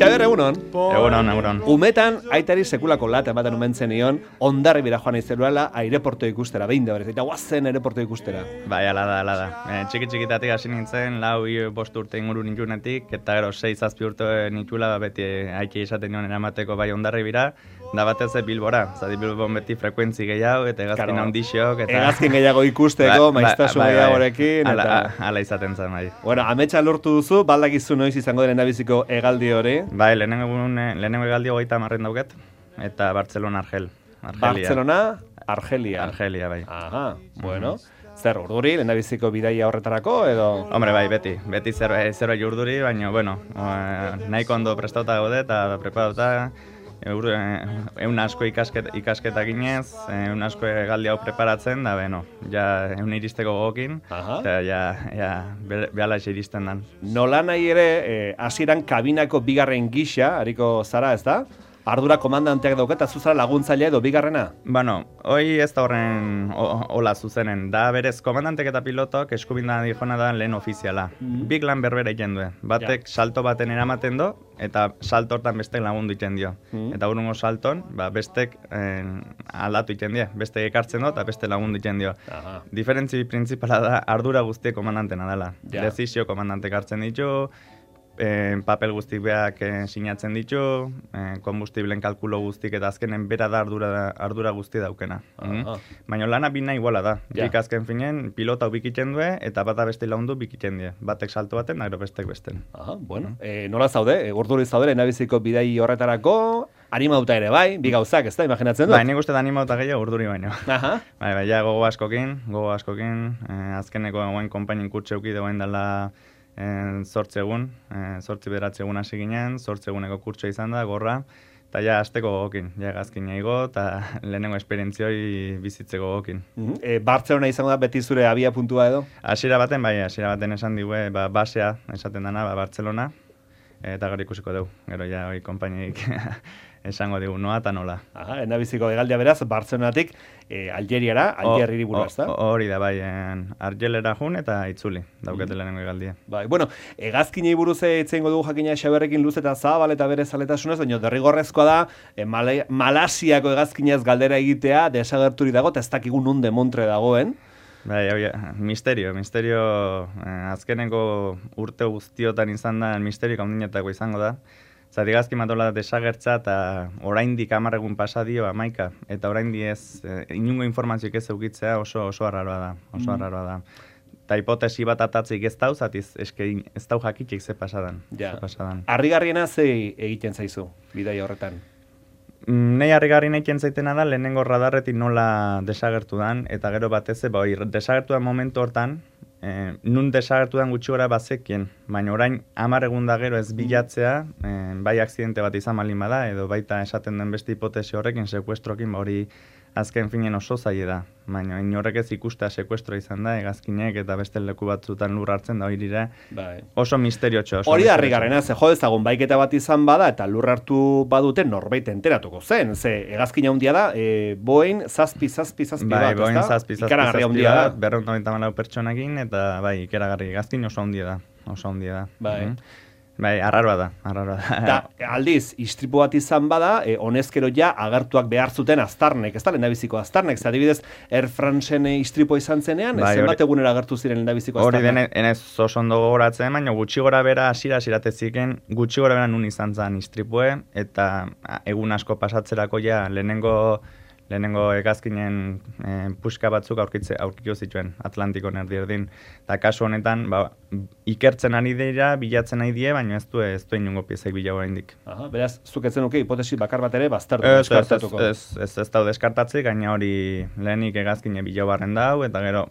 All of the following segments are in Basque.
Xabier, egunon. Egunon. Umetan, aitari sekulako lata ematen umentzen nion, Hondarribira joan izeluela aireporto ikustera, behin da berez, eta guazen aireporto ikustera. Bai, ala da. Txiki-txikitatik hasi nintzen, 4-5 urte inguru nintzunetik, eta gero 6-7 urte nintxula, beti haiki izaten nion eramateko bai Hondarribira, da batez Bilbora, zati Bilbon beti frekuentzi gehiago, eta egazkin handixok, eta... Egazkin gehiago ikusteko, maiztasun gehiagorekin, eta... Ala izaten zen, bai. Bueno, ametsa lortu duzu, baldakizu noiz izango den endabiziko hegaldi hori. Bai, lehenengo hegaldi 30 dauket, eta Barcelona, Argelia. Argelia, bai. Aha, bueno... Zer, urduri, lehendabiziko bidaia horretarako, edo...? Hombre, bai, beti zerbait urduri, baina, bueno, nahiko ondo prestauta gaude eta preparauta, egun asko ikasketa ginez, egun asko hegaldi hau preparatzen, da, beno, ja egun iristeko gogokin, eta ja behala iristen dan. Nola nahi ere, hasieran kabinako bigarren gisa, hariko zara, ez da? Ardura komandanteak dauketa, zuzara laguntzailea edo bigarrena? Bueno, hoi ez da horren hola zuzenen. Da berez, komandantek eta pilotok eskubinda dijona da lehen ofiziala. Bik lan berbera egiten du. Batek salto baten eramaten do, eta salto hortan bestek lagundu egiten dio. Eta urungo salton, bestek aldatu egiten dio. Bestek ekartzen do, eta beste lagundu egiten dio. Diferentzi printzipala da, ardura guztiek komandantena dela. Dezizio komandantek hartzen ditu, papel guztik beak sinatzen ditu, kombustiblen kalkulo guztik eta azkenen bera da ardura guzti daukena. Baina lana bina iguala da. Bik azken finen, pilota bikiten du eta bata beste laundu bikiten die. Batek salto baten, gero bestek besten. Bueno, nola zaude? Urduri zaude, lehendabiziko bidai horretarako, animauta ere bai, bi gauzak, ez da, imaginatzen dut? Bai, nik uste da animauta gehiago urduri baino. Bai, ja gogo askokin, azkeneko guen konpainin kurtxe euki degoen dela 8 egun hasi ginen, 8 eguneko kurtsoa izan da, gorra, eta ja azteko gogokin, ja gazkin eigo, eta lehenengo esperientzioi bizitzeko gogokin. Bartzelona izango da beti zure abia puntua edo? Hasiera baten esan digue, basea esaten dana, Bartzelona, eta gero ikusiko dugu, gero ja hori konpainik esango digu, noa eta nola. Endabiziko egaldia beraz, Bartzelonatik Algeriara, Alger hiriburu, ez da? Hori da, bai, Argelera jun eta itzuli, daukete lehenengo egaldia. Bai, bueno, egazkinei buruz etzeingo dugu jakina Xaberrekin luz eta zabal eta bere zaletasunez, baina derrigorrezkoa da, Malasiako egazkinez galdera egitea, desagerturi dago, eta ez dakigun nun demontre dagoen. Bai, misterio, azkeneko urte guztiotan izan da, misterio kaundinetako izango da. Zati gazki matola desagertza eta oraindik 10 egun pasa dio 11, eta oraindik ez, inungo informazioik ez eukitzea oso arraroa da. Eta hipotesi bat atatzik ez dauz, ez dau jakitxik ze pasadan. Harrigarriena ze egiten zaizu, bidai horretan? Nei harrigarri egiten zaitena da, lehenengo radarretik nola desagertu dan, eta gero batez, desagertu dan momentu hortan, nun desagertu den gutxi gora bazekien, baina orain 10 egun da gero ez bilatzea, bai akzidente bat izan malin bada, edo baita esaten den beste hipotesi horrekin, sekuestrokin, hori azken finen oso zaila da. Baina inorrek ez ikustea sekuestro izan da, egazkinek eta beste leku batzutan lur hartzen da hori oso misteriotxo. Hori da harrigarrena, ze jo dezagun baiketa bat izan bada eta lur hartu badute norbait enteratuko zen. Ze egazkina handia da, Boeing 737 bat, bai, Boeing 737 ikaragarri handia da. 294 pertsonakin eta bai, ikaragarri egazkin oso handia da. Bai, arraroa da. Eta aldiz, istripu bat izan bada, honezkero ja agertuak behar zuten Aztarnek, ez da, lehendabiziko Aztarnek, adibidez, Air Franceen istripua izan zenean, zenbat egunera agertu ziren lehendabiziko Aztarnek? Hori denez oso ondo gogoratzen, baina gutxi gora bera asirateziken, gutxi gora bera nun izan zen istripue, eta egun asko pasatzerako ja lehenengo egazkinen puska batzuk aurkiko zituen Atlantikon erdin. Eta kasu honetan, ikertzen ari dira, bilatzen ari die, baina ez du inungo piezek bilago oraindik. Beraz, zuk ez zenuke hipotesi bakar bat ere baztertu deskartatuko. Ez dau deskartatzik, gaina hori lehenik egazkine bilago barren dau, eta gero,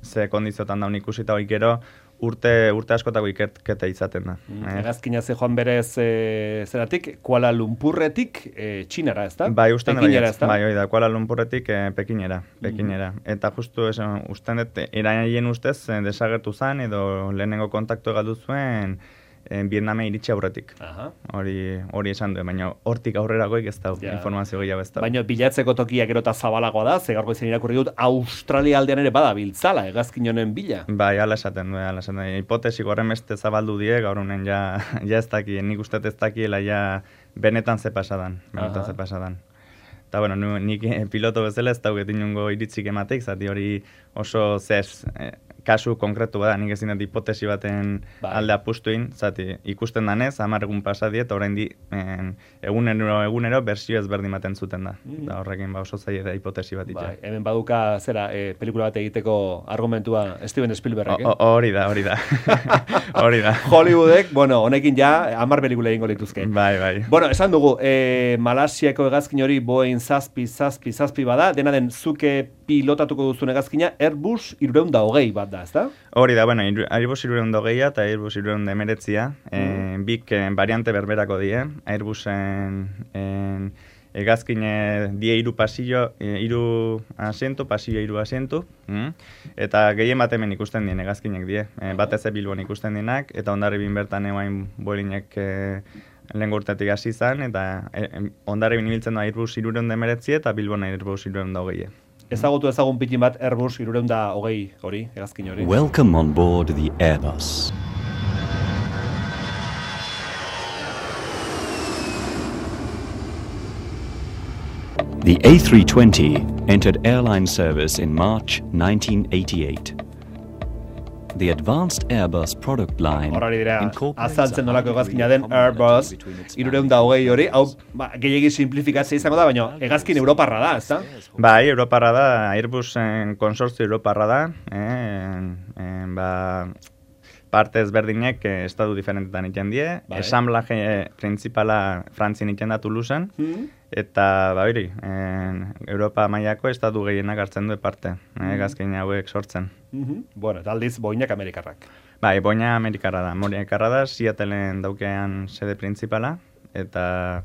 ze kondiziotan daun ikusita hori gero, urte askotako ikerketa izaten da. Egazkina ze joan berez zeratik, Kuala Lumpurretik Txinara, ez da? Bai, usten da, Kuala Lumpurretik Pekinera. Eta justu usten dut, eraien ustez desagertu zen, edo lehenengo kontaktu galdu zuen Vietname iritsi aurretik. Hori esan du, baina hortik aurreragoik ez da, informazio gehiago ez da. Baina bilatzeko tokia gero eta zabalagoa da, ze gaurko izan irakurri dut, Australia aldean ere bada biltzala, hegazkin honen bila. Bai, ala esaten du, hipotesi horren beste zabaldu die, gaur honen ja ez daki, nik uste ez dakiela ja benetan ze pasadan. Eta, bueno, nik piloto bezala ez dauket inungo iritzik emateik, zati hori oso kasu konkretu bada, nik ezin dut hipotesi baten alde apustuin, zati ikusten danez, 10 egun pasadiet, orain egunero bersio ezberdin baten zuten da. Da horrekin oso zaila da hipotesi bat itxea. Hemen baduka, pelikula bat egiteko argumentua Steven Spielbergek, Hori da. Hori da. Hollywoodek, honekin ja 10 pelikula egingo lituzke. Bai. Bueno, esan dugu, Malasiako hegazkin hori Boeing 737 bada, dena den zuke pilotatuko duzun hegazkina Airbus 320 bat da, ezta? Hori da, Airbus 320 eta Airbus 319, bik variante berberako die, Airbusen hegazkine die 3 pasillo, 3 asiento, pasillo 3 asiento, eta gehien bat hemen ikusten dien hegazkinek die, batez Bilbon ikusten dienak, eta Hondarribin bertan eguain Boeingek lehen urtetik hasi izan, eta Hondarribin ibiltzen da Airbus 319 eta Bilbon Airbus 320. Ezagutu ezagun pitin bat Airbus 320 hori, hegazkin hori. Welcome on board the Airbus. The A320 entered airline service in March 1988. The advanced Airbus product line horari dira, azaltzen nolako hegazkina den Airbus 320 hori, hau gehiagi simplifikatzea izango da, baina hegazkin europarra da, ezta? Bai, europarra da, Airbusen konsortzio europarra da, parte ezberdinek estatu diferentetan iten die, ensamblaje principala Frantzien iten da Toulousen, eta Europa mailako estatu gehienak hartzen du parte, hegazkin hauek sortzen. Bueno, eta aldiz Boeingak Amerikarrak. Bai, Boeing Amerikarra da, Seattleen daukean sede principala, eta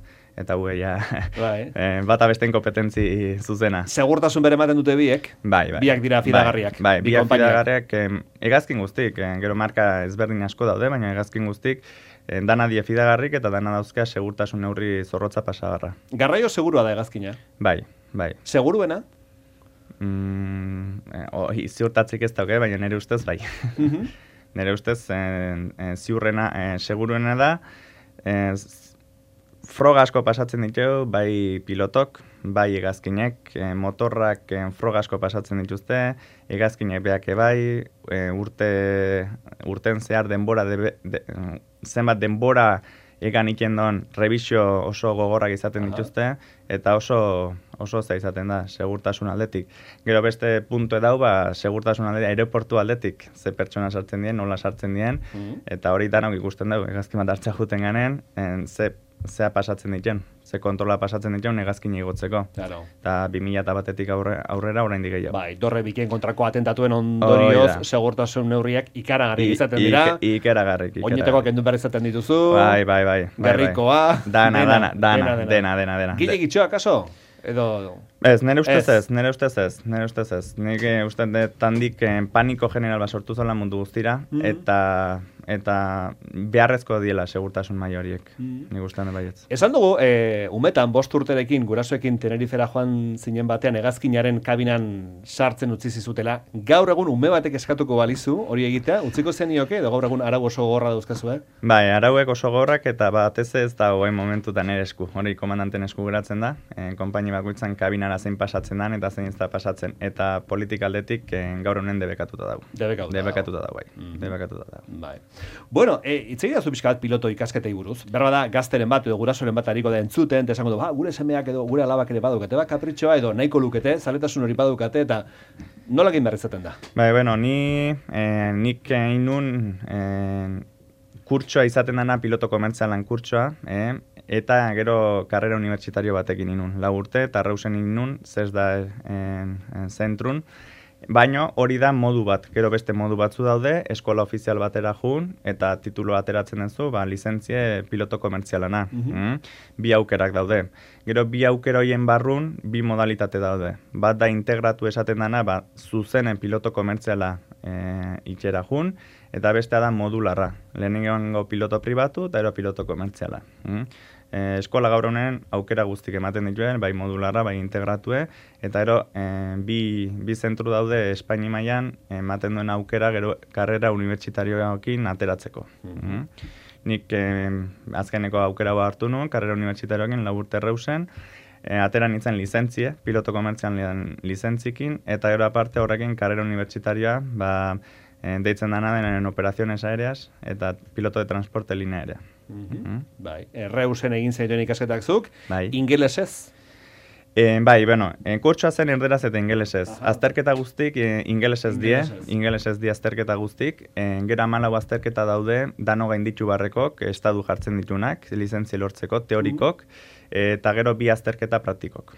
bata besten kompetentzi zuzena. Segurtasun bere ematen dute biek? Bai. Biak dira fidagarriak. Bai, biak fidagarriak hegazkin guztik, gero marka ezberdin asko daude, baina hegazkin guztik dana die fidagarrik eta dana dauzka segurtasun neurri zorrotza pasagarra. Garraio segurua da hegazkina? Bai. Seguruena? Ziurtatzik ez dauke, baina nire ustez bai. Nire ustez ziurrena, seguruena da, froga asko pasatzen ditu, bai pilotok, bai hegazkinek, motorrak froga asko pasatzen dituzte, hegazkinek beak bai, urten zehar denbora, zenbat denbora egan ikendon revisio oso gogorrak izaten dituzte, eta oso za izaten da, segurtasun aldetik. Gero beste puntu edau, segurtasun aldetik, aeroportu aldetik, ze pertsona sartzen dien, nola sartzen dien, eta hori danok ikusten dugu, hegazkin bat hartzea juten ganen, zea pasatzen dituen, ze kontrola pasatzen dituen hegazkin igotzeko. Eta 2001-etik aurrera oraindik gehiago. Bai, dorre bikien kontrako atentatuen ondorioz, segurtasun neurriak ikaragarri izaten dira. Ikaragarrik. Oinetakoak endu behar izaten dituzu. Bai. Gerrikoa. Dena. Gile gitxoa, kaso? Edo... Ez, nire ustez ez. Nik uste tandik paniko general bat sortu zola mundu guztira, eta beharrezko diela segurtasun maila horiek. Nik ustean baietz. Esan dugu, umetan, 5 urterekin, gurasoekin Tenerifera joan zinen batean, hegazkinaren kabinan sartzen utzi zizutela. Gaur egun ume batek eskatuko balizu, hori egitea, utziko zenioke, edo gaur egun arau oso gogorra dauzkazu, Bai, arauek oso gogorrak, eta batez ez da goen momentutan ere esku. Hori komandanten esku geratzen da, konpaini bakoitzan kabinara zein pasatzen dan, eta zein ez da pasatzen. Eta politikaldetik gaur honen debekatuta dago. Debekatuta dago. Bai. Bueno, itzegi da zu pixka bat piloto ikasketei buruz. Berba da, gazteren bat edo gurasoren bat hariko da entzuten, eta esango du, gure semeak edo gure alabak ere badukate, kapritxoa edo nahiko lukete, zaletasun hori badukate, eta nola egin behar izaten da? Bai, nik inun kurtsoa izaten dana piloto komertzialan kurtsoa, eta gero karrera unibertsitario batekin inun. 4 urte, eta rausen inun, zez da zentrun. Baina hori da modu bat, gero beste modu batzu daude, eskola ofizial batera jun, eta titulo ateratzen duzu, lizentzie piloto komertzialana. Bi aukerak daude. Gero bi aukera hoien barrun, bi modalitate daude. Bat da integratu esaten dana, zuzenen piloto komertziala itxera jun, eta bestea da modularra. Lehenengo piloto pribatu eta gero piloto komertziala. Eskola gaur honen aukera guztik ematen dituen, bai modularra, bai integratue, eta gero bi zentru daude Espaini mailan ematen duen aukera gero karrera unibertsitarioekin ateratzeko. Nik azkeneko aukera hartu nuen, karrera unibertsitarioekin 4 urte Reusen, atera nintzen lizentzie, piloto komertzian lizentzikin, eta gero aparte horrekin karrera unibertsitarioa, deitzen dana denen operaciones aéreas eta piloto de transporte linea aérea. Bai, Reusen egin zaituen ikasketak zuk, bai. Ingelesez? Bai, bueno, kurtsoa zen erderaz eta ingelesez. Azterketa guztik ingelesez die azterketa guztik. Gera 14 azterketa daude, dano gainditu barrekok, estadu jartzen ditunak, lizentzia lortzeko, teorikok, eta gero 2 azterketa praktikok.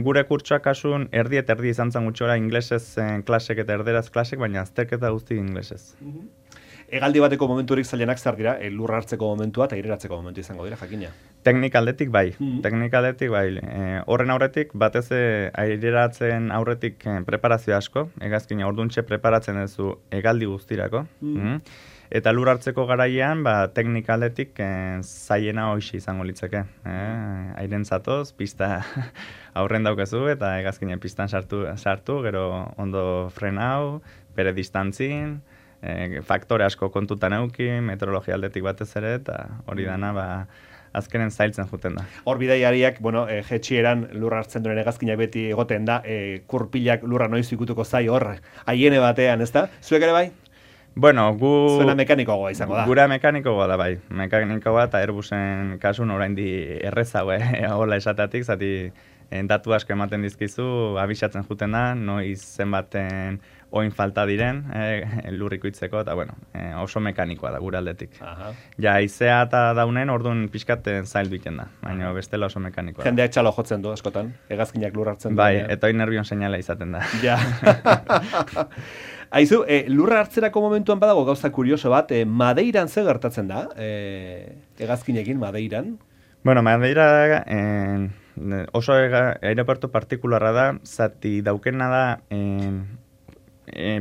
Gure kurtsoak kasun erdi eta erdi izan zen gutxora inglesez klasek eta erderaz klasek, baina azterketa guztik inglesez. Hegaldi bateko momenturik zailenak zer dira, lurra hartzeko momentua eta aireratzeko momentu izango dira, jakina. Teknikaldetik bai, horren aurretik, batez aireratzen aurretik preparazio asko, hegazkina orduntxe preparatzen duzu hegaldi guztirako, eta lur hartzeko garaian, teknikaldetik zaiena hoxi izango litzeke. Airen zatoz, pista aurren daukazu, eta hegazkina pistan sartu, gero ondo frenau, bere distantzin, faktore asko kontutan euki, meteorologia aldetik batez ere, eta hori dana azkenen zailtzen juten da. Hor bidaiariak, jetxieran lurra hartzen duen hegazkina beti egoten da, kurpilak lurra noiz ikutuko zai hor, haiene batean, ez da? Zuek ere bai? Bueno, zuena mekanikoagoa izango da. Gura mekanikoagoa da bai. Mekanikoagoa eta Airbusen kasun oraindik errezago, hola esateatik, zati datu asko ematen dizkizu, abisatzen juten da, noiz zenbaten oin falta diren, lurriko itzeko, eta oso mekanikoa da gure aldetik. Ja, izea eta daunen, orduan pixkaten zail duiten da, baina bestela oso mekanikoa da. Jendeak txalo jotzen du, askotan, hegazkinak lur hartzen du. Bai, eta hori nervion seinala izaten da. Ja. Aizu, lurra hartzerako momentuan badago gauza kurioso bat, Madeiran ze gertatzen da, hegazkinekin Madeiran? Bueno, Madeira oso aeroportu partikularra da, zati daukena da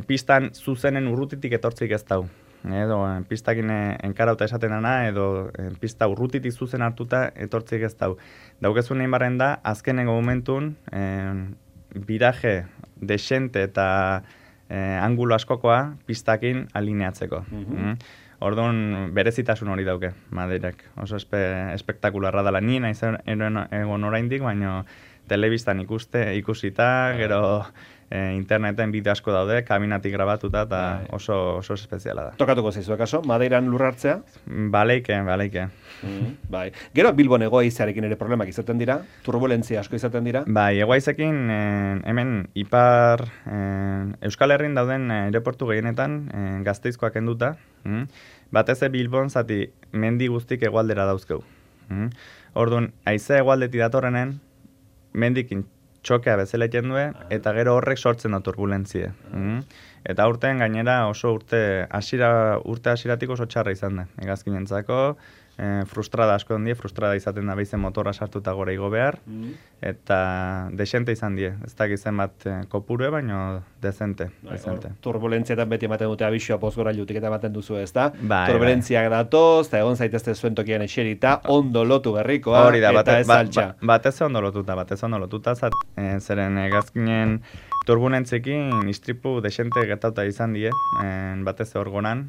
pistan zuzenen urrutitik etortzik ez dau. Edo pistakin enkarauta esaten dana, edo pista urrutitik zuzen hartuta etortzik ez dau. Daukezun egin barren da, azkenengo momentun, biraje, desente eta angulo askokoa pistakin alineatzeko. Orduan, berezitasun hori dauke, Madeirak. Oso espektakularra dela. Nien egon oraindik, baina telebistan ikusita, gero interneten bideo asko daude, kabinatik grabatuta, eta oso espeziala da. Tokatuko zaizu, akaso? Madeiran lurra hartzea? Baleike. Bai. Gero, Bilbon egoaizearekin ere problemak izaten dira? Turbulentzia asko izaten dira? Bai, egoaizekin, hemen ipar Euskal Herrin dauden aeroportu gehienetan Gasteizkoak enduta, batez Bilbon zati mendi guztik hegoaldera dauzkeu. Orduan, haizea hegoaldetik datorrenen, mendikin txokea bezala egiten du, eta gero horrek sortzen da turbulentzie. Eta urtean gainera oso urte hasiratik oso txarra izan da. Hegazkinentzako, frustrada asko die, frustrada izaten da behizen motorra sartuta gora igo behar, eta desente izan die. Ez dakit zenbat kopurue, baina dezente. Turbulentzietan beti ematen dute abisua pozgorailutik eta ematen duzu, ez da? Turbulentziak datoz, eta egon zaitezte zuen tokian eserita, ondo lotu berrikoa, eta ez altxa. Batez ondo lotuta, zeren hegazkinen turbulentziekin istripu desente gertauta izan die, batez hor goran,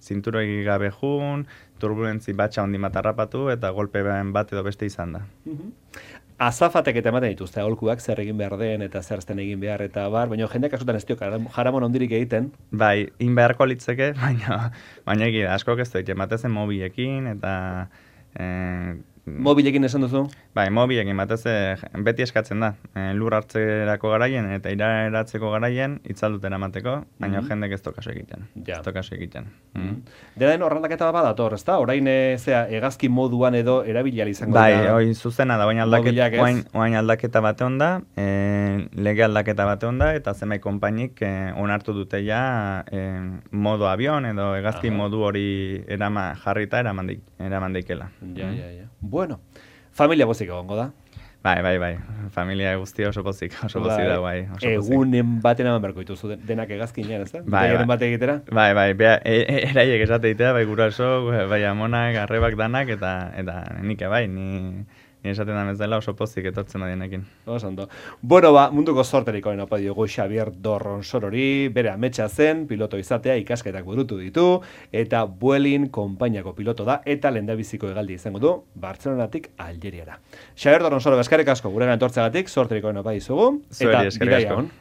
zinturoi gabe jun, turbulentzi batxa hondi matarrapatu eta golpe bat edo beste izan da. Azafatek eta ematen dituzte, aholkuak zer egin behar den eta zer ezten egin behar eta baina jendeak askotan ez diok jaramon ondirik egiten. Bai, in beharko litzeke, baina egia, askok ez doit, ematezen mobilekin eta... Mobilekin esan duzu? Bai, mobilekin batez beti eskatzen da. Lur hartzerako garaien eta iraratzeko garaien itzaldut eramateko, baina jendek ez tokaso egiten. Ez tokaso egiten. Dena den horrandaketa bat dator, ez da? Orain hegazki moduan edo erabilial izango da. Bai, hori zuzena da, oain aldaketa bate onda, lege aldaketa bate onda, eta zenbait konpainik onartu dute ja modo avion edo hegazki modu hori jarrita eraman daikela. Bueno, familia bozik egongo da? Bai. Familia guztia oso pozik da, bai. Egunen baten eman berko dituzu denak hegazkinean, ez da? Bai. Bate egitera? Bai, eraiek esate egitea, bai guraso, bai amonak, arrebak danak, eta nik bai, ni esaten da bezala oso pozik etortzen adienekin. Ondo. Bueno, munduko zorterik oen opa diogu Xabier Dorronsorori, bere ametsa zen, piloto izatea ikasketak burutu ditu, eta Vueling konpainiako piloto da, eta lehendabiziko hegaldi izango du, Bartzelonatik Algeriara. Xabier Dorronsoro, eskerrik asko, guregan etortzeagatik, zorterik oen opa dizugu, eta bidaia on.